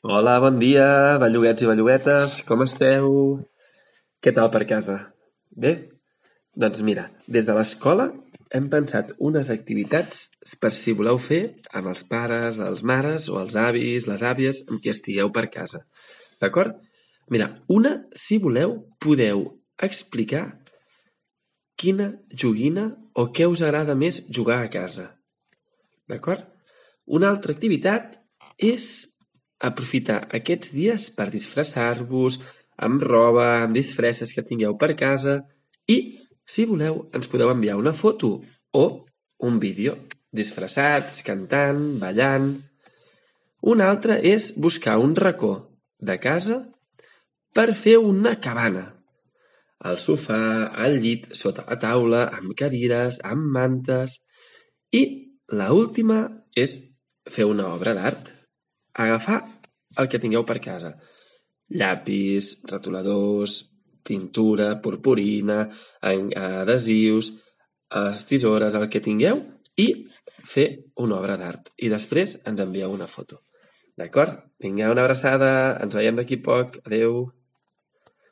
Hola, bon dia, belluguets i belluguetes, com esteu? Què tal per casa? Bé? Doncs mira, des de l'escola hem pensat unes activitats per si voleu fer amb els pares, les mares o els avis, les àvies, amb qui estigueu per casa. D'acord? Mira, una, si voleu, podeu explicar quina joguina o què us agrada més jugar a casa. D'acord? Una altra activitat és aprofitar aquests dies per disfressar-vos amb roba, amb disfresses que tingueu per casa i, si voleu, ens podeu enviar una foto o un vídeo disfressats, cantant, ballant. Un altre és buscar un racó de casa per fer una cabana. Al sofà, al llit, sota la taula, amb cadires, amb mantes. I l'última és fer una obra d'art. Agafar el que tingueu per casa. Llapis, retoladors, pintura, purpurina, adhesius, les tisores, el que tingueu, i fer una obra d'art. I després ens envieu una foto. D'acord? Vinga, una abraçada. Ens veiem d'aquí poc. Adéu.